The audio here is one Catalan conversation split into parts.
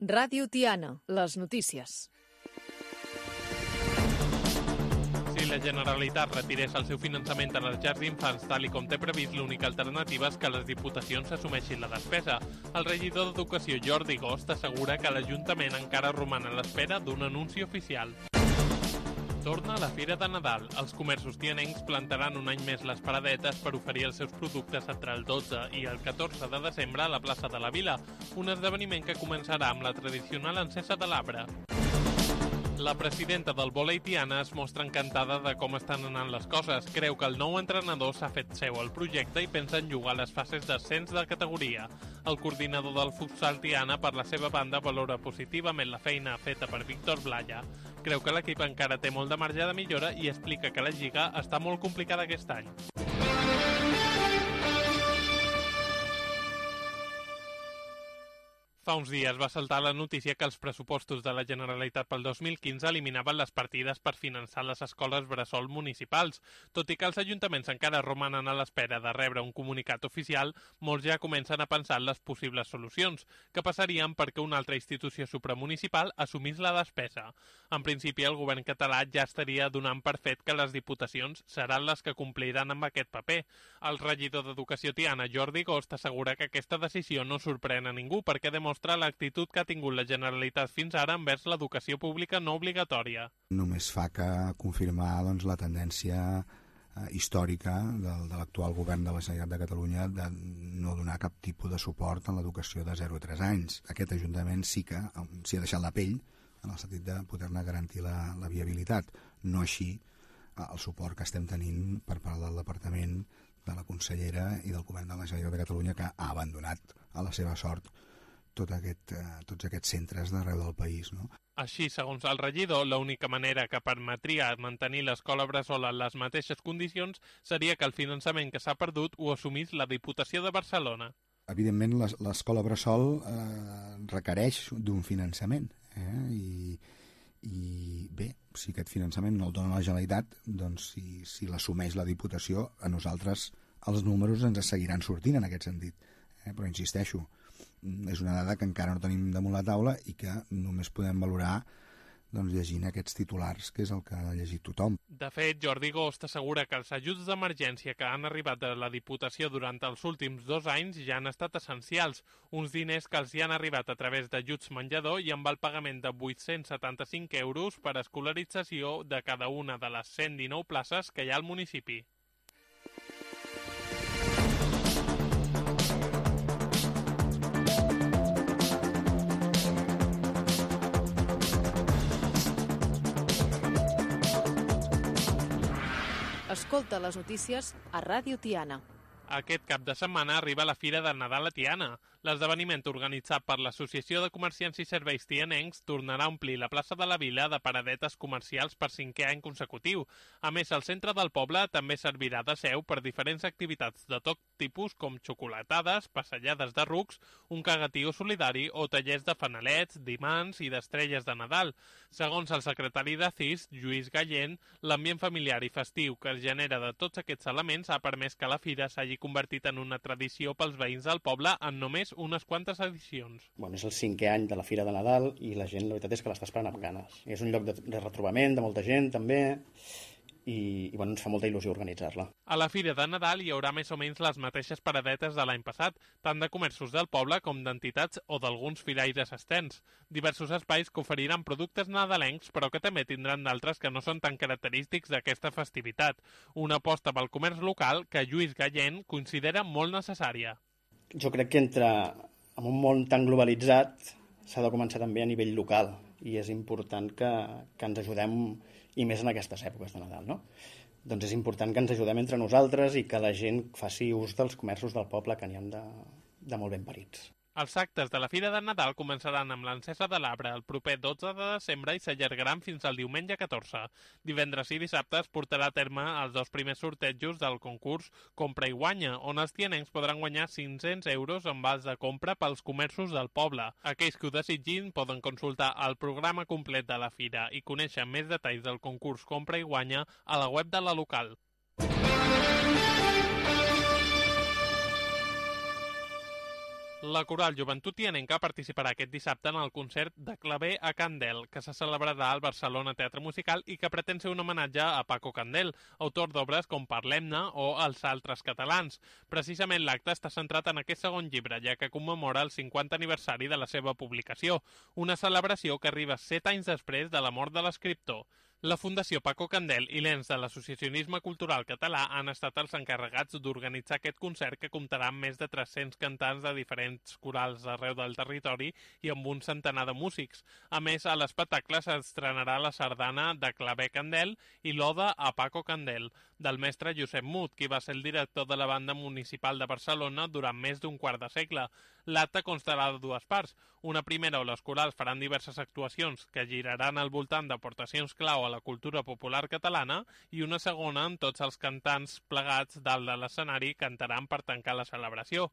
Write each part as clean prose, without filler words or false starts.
Ràdio Tiana, les notícies. Si la Generalitat retirés el seu finançament a les llars d'infants tal i com té previst, l'única alternativa és que les diputacions assumeixin la despesa. El regidor d'Educació, Jordi Gost, assegura que l'Ajuntament encara roman a l'espera d'un anunci oficial. Torna a la Fira de Nadal. Els comerços tianencs plantaran un any més les paradetes per oferir els seus productes entre el 12 i el 14 de desembre a la plaça de la Vila, un esdeveniment que començarà amb la tradicional encesa de l'arbre. La presidenta del vòlei Tiana es mostra encantada de com estan anant les coses. Creu que el nou entrenador s'ha fet seu el projecte i pensa en jugar les fases d'ascens de categoria. El coordinador del futsal Tiana, per la seva banda, valora positivament la feina feta per Víctor Blaya. Creu que l'equip encara té molt de marge de millora i explica que la lliga està molt complicada aquest any. Fa uns dies va saltar la notícia que els pressupostos de la Generalitat pel 2015 eliminaven les partides per finançar les escoles bressol municipals. Tot i que els ajuntaments encara romanen a l'espera de rebre un comunicat oficial, molts ja comencen a pensar en les possibles solucions, que passarien perquè una altra institució supramunicipal assumís la despesa. En principi, el govern català ja estaria donant per fet que les diputacions seran les que compliran amb aquest paper. El regidor d'Educació Tiana, Jordi Gost, assegura que aquesta decisió no sorprèn a ningú perquè demostra l'actitud que ha tingut la Generalitat fins ara envers l'educació pública no obligatòria. Només fa que confirmar la tendència històrica de l'actual govern de la Generalitat de Catalunya de no donar cap tipus de suport a l'educació de 0 a 3 anys. Aquest Ajuntament sí que s'hi ha deixat la pell en el sentit de poder-ne garantir la viabilitat. No així el suport que estem tenint per part del Departament, de la consellera i del govern de la Generalitat de Catalunya, que ha abandonat a la seva sort tots aquests centres d'arreu del país, no? Així, segons el regidor, l'única manera que permetria mantenir l'escola bressol en les mateixes condicions seria que el finançament que s'ha perdut ho assumís la Diputació de Barcelona. Evidentment, l'escola bressol requereix d'un finançament, i bé, si aquest finançament no el dona la Generalitat, doncs si l'assumeix la Diputació, a nosaltres els números ens seguiran sortint en aquest sentit. Però insisteixo, és una dada que encara no tenim damunt la taula i que només podem valorar llegint aquests titulars, que és el que ha llegit tothom. De fet, Jordi Gost assegura que els ajuts d'emergència que han arribat de la Diputació durant els últims 2 anys ja han estat essencials, uns diners que els hi han arribat a través d'ajuts menjador i amb el pagament de 875 euros per escolarització de cada una de les 119 places que hi ha al municipi. Escolta les notícies a Ràdio Tiana. Aquest cap de setmana arriba la Fira de Nadal a Tiana. L'esdeveniment organitzat per l'Associació de Comerciants i Serveis Tianencs tornarà a omplir la plaça de la Vila de paradetes comercials per 5è any consecutiu. A més, el centre del poble també servirà de seu per diferents activitats de tot tipus com xocolatades, passejades de rucs, un cagatiu solidari o tallers de fanalets, d'imants i d'estrelles de Nadal. Segons el secretari de CIS, Lluís Gallent, l'ambient familiar i festiu que es genera de tots aquests elements ha permès que la fira s'hagi convertit en una tradició pels veïns del poble en només unes quantes edicions. És el 5è any de la Fira de Nadal i la gent, la veritat és que l'està esperant amb ganes. És un lloc de retrobament de molta gent, també, i ens fa molta il·lusió organitzar-la. A la Fira de Nadal hi haurà més o menys les mateixes paradetes de l'any passat, tant de comerços del poble com d'entitats o d'alguns firaires externs. Diversos espais que oferiran productes nadalencs, però que també tindran d'altres que no són tan característics d'aquesta festivitat. Una aposta pel comerç local que Lluís Gallent considera molt necessària. Jo crec que en un món tan globalitzat s'ha de començar també a nivell local i és important que ens ajudem, i més en aquestes èpoques de Nadal, no? Doncs és important que ens ajudem entre nosaltres i que la gent faci ús dels comerços del poble, que n'hi ha de molt ben parits. Els actes de la Fira de Nadal començaran amb l'encesa de l'arbre el proper 12 de desembre i s'allargaran fins al diumenge 14. Divendres i dissabte es portarà a terme els 2 primers sortejos del concurs Compra i Guanya, on els tianencs podran guanyar 500 euros en vals de compra pels comerços del poble. Aquells que ho desitgin poden consultar el programa complet de la Fira i conèixer més detalls del concurs Compra i Guanya a la web de la local. La Coral Joventut Tianenca participarà aquest dissabte en el concert de Claver a Candel, que se celebrarà al Barcelona Teatre Musical i que pretén ser un homenatge a Paco Candel, autor d'obres com Parlem-ne o Els altres catalans. Precisament l'acte està centrat en aquest segon llibre, ja que commemora el 50 aniversari de la seva publicació, una celebració que arriba 7 anys després de la mort de l'escriptor. La Fundació Paco Candel i l'ENS de l'Associacionisme Cultural Català han estat els encarregats d'organitzar aquest concert que comptarà amb més de 300 cantants de diferents corals arreu del territori i amb un centenar de músics. A més, a l'espectacle s'estrenarà la sardana de Claver Candel i l'Oda a Paco Candel, del mestre Josep Mut, qui va ser el director de la Banda Municipal de Barcelona durant més d'un quart de segle. L'acte constarà de dues parts. Una primera on les corals faran diverses actuacions que giraran al voltant d'aportacions clau a la cultura popular catalana i una segona on tots els cantants plegats dalt de l'escenari cantaran per tancar la celebració.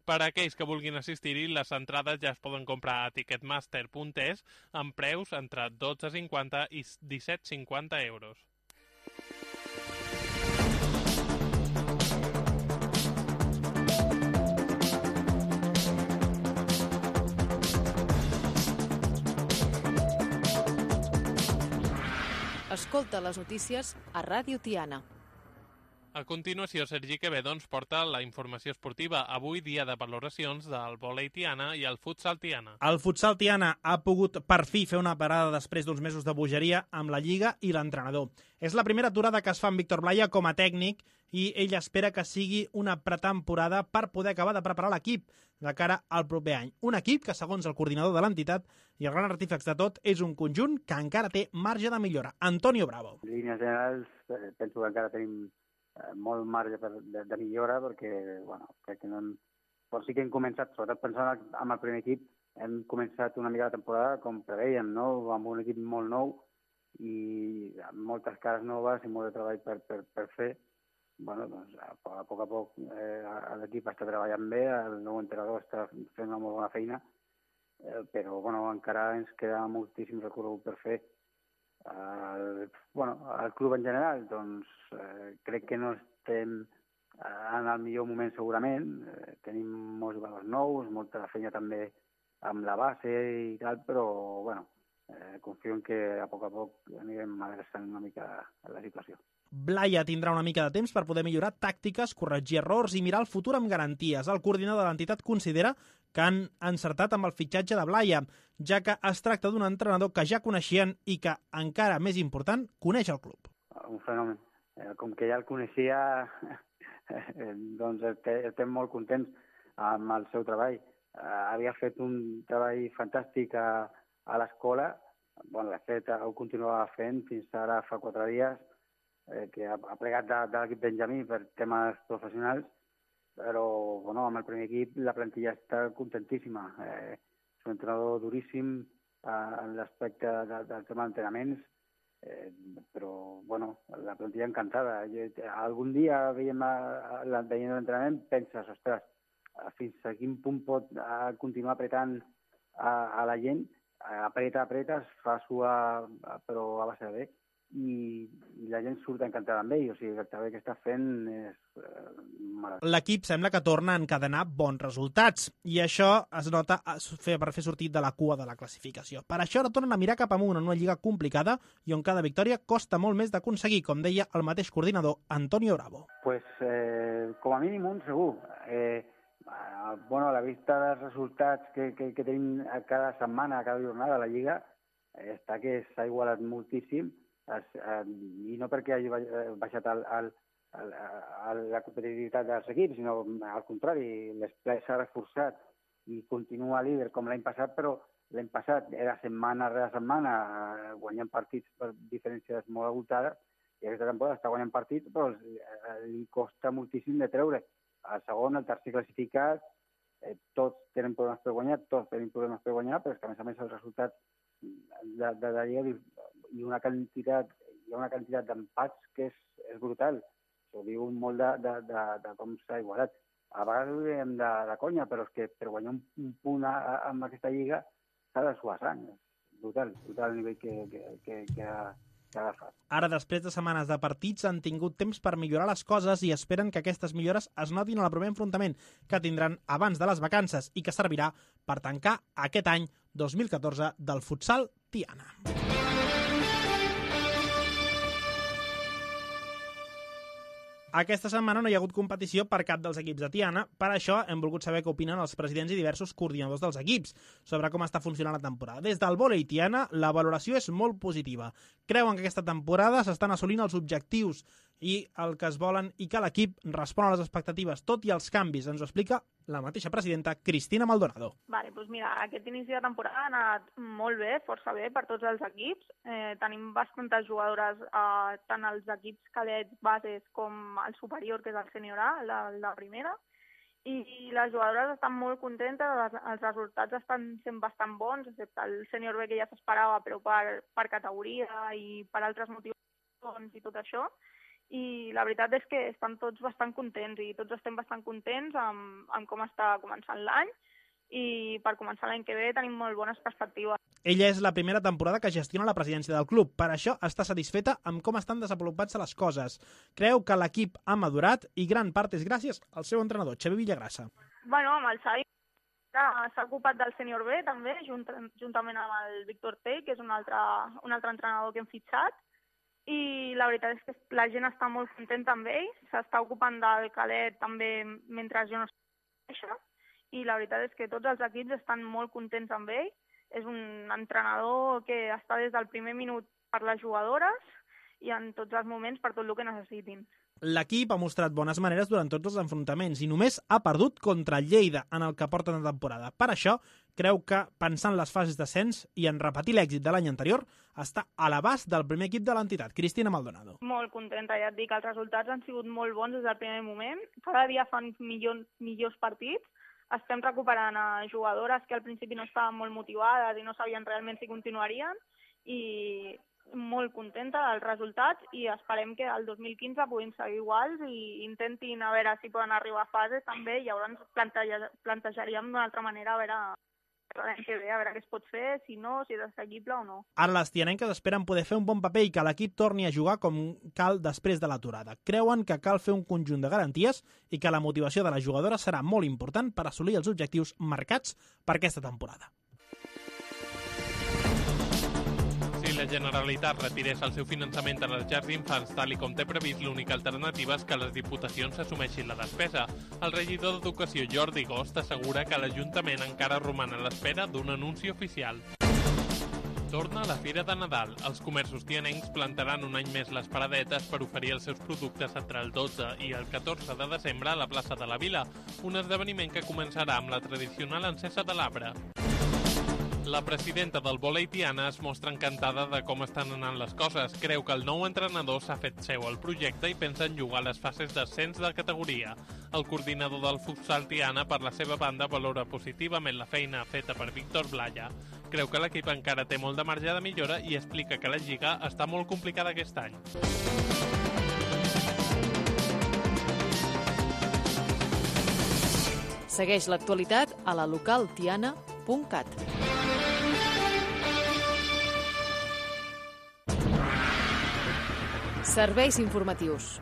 Per a aquells que vulguin assistir-hi, les entrades ja es poden comprar a ticketmaster.es amb preus entre 12,50 i 17,50 euros. Escolta les notícies a Ràdio Tiana. A continuació, Sergi Quevedo ens porta la informació esportiva. Avui, dia de valoracions del vòlei Tiana i el futsal Tiana. El futsal Tiana ha pogut per fi fer una parada després d'uns mesos de bogeria amb la Lliga i l'entrenador. És la primera aturada que es fa amb Víctor Blaya com a tècnic i ell espera que sigui una pretemporada per poder acabar de preparar l'equip de cara al proper any. Un equip que, segons el coordinador de l'entitat i el gran artífex de tot, és un conjunt que encara té marge de millora. Antonio Bravo. En línies generals, penso que encara tenim molt marge de millora perquè, bueno, crec que no... Però sí que hem començat, sobretot pensant en el primer equip, hem començat una mica la temporada com preveiem, no? Amb un equip molt nou i amb moltes cares noves i molt de treball per fer. Bueno, doncs, a poc l'equip està treballant bé, el nou entrenador està fent una molt bona feina, però bueno, encara ens queda moltíssim recorregut per fer. El club en general, doncs crec que no estem en el millor moment segurament. Tenim molts jugadors nous, molta feina també amb la base i tal, però bueno, confio en que a poc anirem adreçant una mica la situació. Blaya tindrà una mica de temps per poder millorar tàctiques, corregir errors i mirar el futur amb garanties. El coordinador de l'entitat considera que han encertat amb el fitxatge de Blaya, ja que es tracta d'un entrenador que ja coneixien i que, encara més important, coneix el club. Un fenomen. Com que ja el coneixia, doncs estem molt contents amb el seu treball. Havia fet un treball fantàstic a l'escola, de fet ho continuava fent fins ara fa 4 dies, que ha plegat de l'equip Benjamí per temes professionals, però amb el primer equip la plantilla està contentíssima. És un entrenador duríssim en l'aspecte del tema d'entrenaments, però la plantilla encantada. Algun dia veient l'entrenament penses, ostres, fins a quin punt pot continuar apretant a la gent, apreta, es fa suar, però a base de bé. I la gent surt encantada amb ell, o sigui, el treball que està fent és meravellós. L'equip sembla que torna a encadenar bons resultats i això es nota per fer sortir de la cua de la classificació. Per això ara tornen a mirar cap amunt en una lliga complicada i on cada victòria costa molt més d'aconseguir, com deia el mateix coordinador Antonio Bravo. Pues, com a mínim un segur. A la vista dels resultats que tenim cada setmana, cada jornada a la lliga, està que s'ha igualat moltíssim, i no perquè hagi baixat la competitivitat dels equips, sinó al contrari, l'esplai s'ha reforçat i continua líder com l'any passat, però l'any passat era setmana rere setmana guanyant partits per diferències molt abultades, i aquesta temporada està guanyant partits, però li costa moltíssim de treure. El segon, el tercer classificat, tots tenen problemes per guanyar, però és que a més els resultats de la Lliga hi ha una quantitat d'empats que és brutal. Això diu molt de com s'ha igualat. A vegades ho diem de conya, però és que per guanyar un punt amb aquesta Lliga s'ha de suar sang. És brutal el nivell que ha cada fase. Ara, després de setmanes de partits, han tingut temps per millorar les coses i esperen que aquestes millores es notin al primer enfrontament que tindran abans de les vacances i que servirà per tancar aquest any 2014 del futsal Tiana. Aquesta setmana no hi ha hagut competició per cap dels equips de Tiana. Per això hem volgut saber què opinen els presidents i diversos coordinadors dels equips sobre com està funcionant la temporada. Des del vòlei Tiana, la valoració és molt positiva. Creuen que aquesta temporada s'estan assolint els objectius i el que es volen i que l'equip respon a les expectatives, tot i els canvis. Ens ho explica la mateixa presidenta, Cristina Maldonado. Vale, doncs mira, aquest inici de temporada ha anat molt bé, força bé per tots els equips. Tenim bastantes jugadores, tant als equips cadets, bases, com al superior, que és el sènior A, la primera. I les jugadores estan molt contentes, els resultats estan sent bastant bons, excepte el sènior B, que ja s'esperava, però per categoria i per altres motivacions i tot això. I la veritat és que estan tots bastant contents i tots estem bastant contents amb com està començant l'any i per començar l'any que ve tenim molt bones perspectives. Ella és la primera temporada que gestiona la presidència del club. Per això està satisfeta amb com estan desenvolupant-se les coses. Creu que l'equip ha madurat i gran part és gràcies al seu entrenador, Xavi Villagrassa. Bueno, amb el Xavi s'ha ocupat del sènior B també, juntament amb el Víctor Tell, que és un altre entrenador que hem fitxat. I la veritat és que la gent està molt contenta amb ell, s'està ocupant del cadet també mentre jo no estic, i la veritat és que tots els equips estan molt contents amb ell. És un entrenador que està des del primer minut per les jugadores i en tots els moments per tot el que necessitin. L'equip ha mostrat bones maneres durant tots els enfrontaments i només ha perdut contra Lleida en el que porta de temporada. Per això, creu que, pensant les fases d'ascens i en repetir l'èxit de l'any anterior, està a l'abast del primer equip de l'entitat, Cristina Maldonado. Molt contenta, ja et dic, els resultats han sigut molt bons des del primer moment. Cada dia fan millors partits. Estem recuperant a jugadores que al principi no estaven molt motivades i no sabien realment si continuarien, i molt contenta dels resultats i esperem que el 2015 puguin seguir iguals i intentin a veure si poden arribar a fases també, i llavors plantejaríem d'una altra manera a veure l'any que ve, a veure què es pot fer, si no, si és assequible o no. Ara les tianenques esperen poder fer un bon paper i que l'equip torni a jugar com cal després de l'aturada. Creuen que cal fer un conjunt de garanties i que la motivació de les jugadores serà molt important per assolir els objectius marcats per aquesta temporada. Si la Generalitat retirés el seu finançament a les llars d'infants tal i com té previst, l'única alternativa és que les diputacions assumeixin la despesa. El regidor d'Educació, Jordi Gost, assegura que l'Ajuntament encara roman a l'espera d'un anunci oficial. Torna la Fira de Nadal. Els comerços tianencs plantaran un any més les paradetes per oferir els seus productes entre el 12 i el 14 de desembre a la plaça de la Vila, un esdeveniment que començarà amb la tradicional encesa de l'arbre. La presidenta del vòlei Tiana es mostra encantada de com estan anant les coses. Creu que el nou entrenador s'ha fet seu el projecte i pensa en jugar les fases d'ascens de categoria. El coordinador del futsal Tiana, per la seva banda, valora positivament la feina feta per Víctor Blaya. Creu que l'equip encara té molt de marge de millora i explica que la lliga està molt complicada aquest any. Segueix l'actualitat a la localtiana.cat. Serveis informatius.